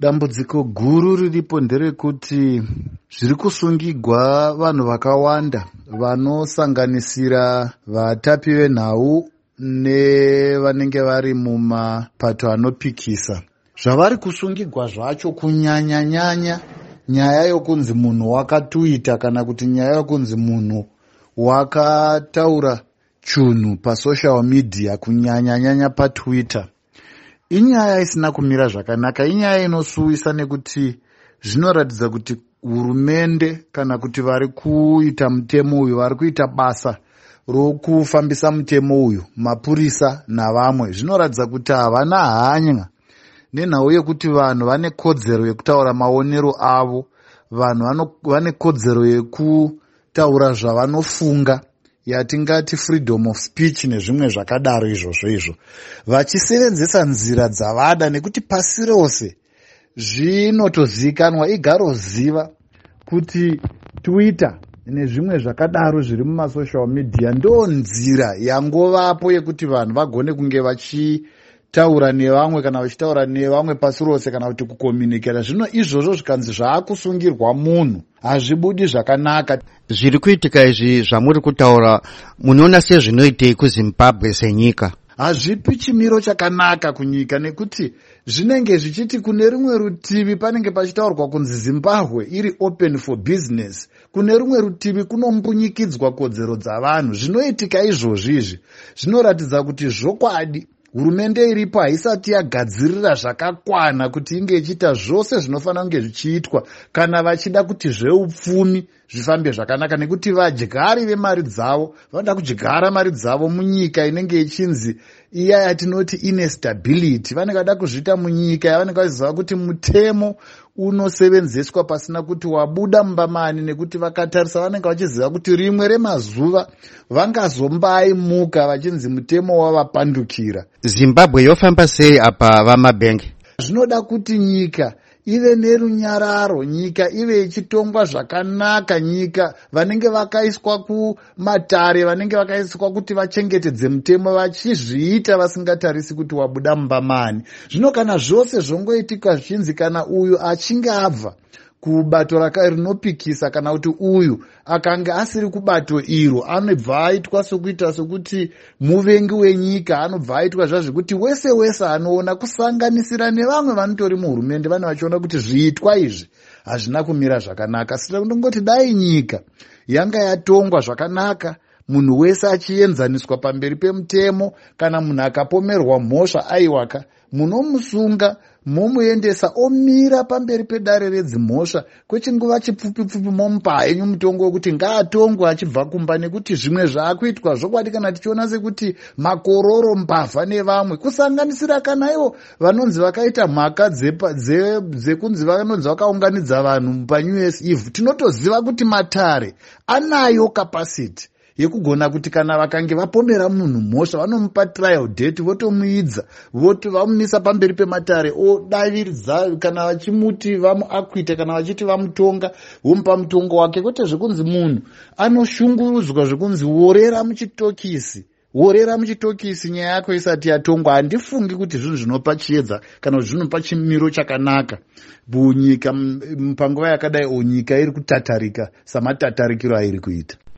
Dambudziko guru riripo nderekuti zviri kusungigwa vanhu vakawanda vanosanganisira vatapi venhau nevanenge vari mumapato anopikisa. Zvavari kusungigwa zvacho, kunyanyanyanya nyaya yokunzi munhu wakatuita kana kuti nyaya yokunzi munhu wakataura chunhu pasocial media, kunyanyanyanya paTwitter, inyaya isina kumira zvakanaka. Inyaya inosuwisa nekuti zvinoratidza kuti hurumende kana kuti vari kuita mutemo uyu, vari kuita basa rokufambisa mutemo uyu, mapurisa navamwe, zvinoratidza kuti havana hanya nenhau yekuti vanhu vane kodzero yekutaura maonero avo, vanhu vane kodzero yekutaura zvavanofunga, yatingati freedom of speech nezvimwe zvakadaro izvozvo izvo, vachisevenzesa nzira dzavada. Nekuti pasi rose zvinotozivikanwa, igaroziva kuti Twitter nezvimwe zvakadaro zviri mumasocial media ndo nzira yangovapo yekuti vanhu vagone kunge vachitaura nevamwe, kana vachitaura nevamwe pasi rose, kana kuti kucommunicata. Zvino izvozvo zvikanzi zvaakusungirwa munhu, hazvibudi zvakanaka. Zviri kuitika izvi zvamuri kutaura, munoona sezvinoitei kuZimbabwe senyika? Hazvipi chimiro chakanaka kunyika, nekuti zvinenge zvichiti kune rumwe rutivi panenge pachitaurwa kunzi Zimbabwe iri open for business, kune rumwe rutivi kunombunyikidzwa kodzero dzavanhu. Zvinoitika izvozvi izvi zvinoratidza kuti zvokwadi hurumende iripo haisati yagadzirira zvakakwana kuti inge ichiita zvose zvinofanira kunge zvichiitwa kana vachida kuti zveupfumi zvifambe zvakanaka, nekuti vadyari vemari dzavo vanoda kudyara mari dzavo munyika inenge ichinzi iya yatinoti ine stability. Vanenge vada kuzviita munyika yavanenge vachiziva kuti mutemo unosevenzeswa pasina kuti wabuda mumba mani, nekuti vakatarisa vanenge vachiziva kuti rimwe remazuva vangazombaimuka vachinzi mutemo wavapandukira. Zimbabwe yofamba sei apa, VaMabhenge? Zvinoda kuti nyika ive nerunyararo, nyika ive ichitongwa zvakanaka. Nyika vanenge vakaiswa kumatare, vanenge vakaiswa kuti vachengetedze mutemo, vachizviita vasingatarisi kuti wabuda mumba mani. Zvino kana zvose zvongoitika zvichinzi kana uyu achinge abva kubato rinopikisa kana kuti uyu akanga asiri kubato iro, anobva aitwa sokuita sokuti muvengi wenyika, anobva aitwa zvazvekuti wese wese anoona, kusanganisira nevamwe vanotori muhurumende, vane vachiona kuti zviitwa izvi hazvina kumira zvakanaka. Saka ndongoti dai nyika yanga yatongwa zvakanaka, munhu wese achienzaniswa pamberi pemutemo. Kana munhu akapomerwa mhosva, aiwaka, munomusunga, momuendesa, omira pamberi pedare redzimhosva kwechinguva chipfupi pfupi, momupa henyu mutongo wekuti ngaatongwe achibva kumba. Nekuti zvimwe zvaakuitwa zvokwadi, kana tichiona sekuti makororo, mbavha nevamwe, kusanganisira kana ivo vanonzi vakaita mhaka dzekunzi vanonzi vakaunganidza vanhu paNew Year's Eve, tinotoziva kuti matare anayo capacity yekugona kuti kana vakange vapomera munhu mhosva, vanomupa trial date, votomuidza, vamumisa pamberi pematare, odaviridza kana vachimuti vamuacquita, kana vachiti vamutonga, vomupa mutongo wake, kwete zvekunzi munhu anoshungurudzwa zvekunzi worera muchitokisi, worera muchitokisi nyaya yako isati yatongwa. Handifungi kuti zvinhu zvinopa chiedza kana kuti zvinopa chimiro chakanaka munyika panguva yakadai, o nyika iri kutatarika samatatarikiro airi kuita.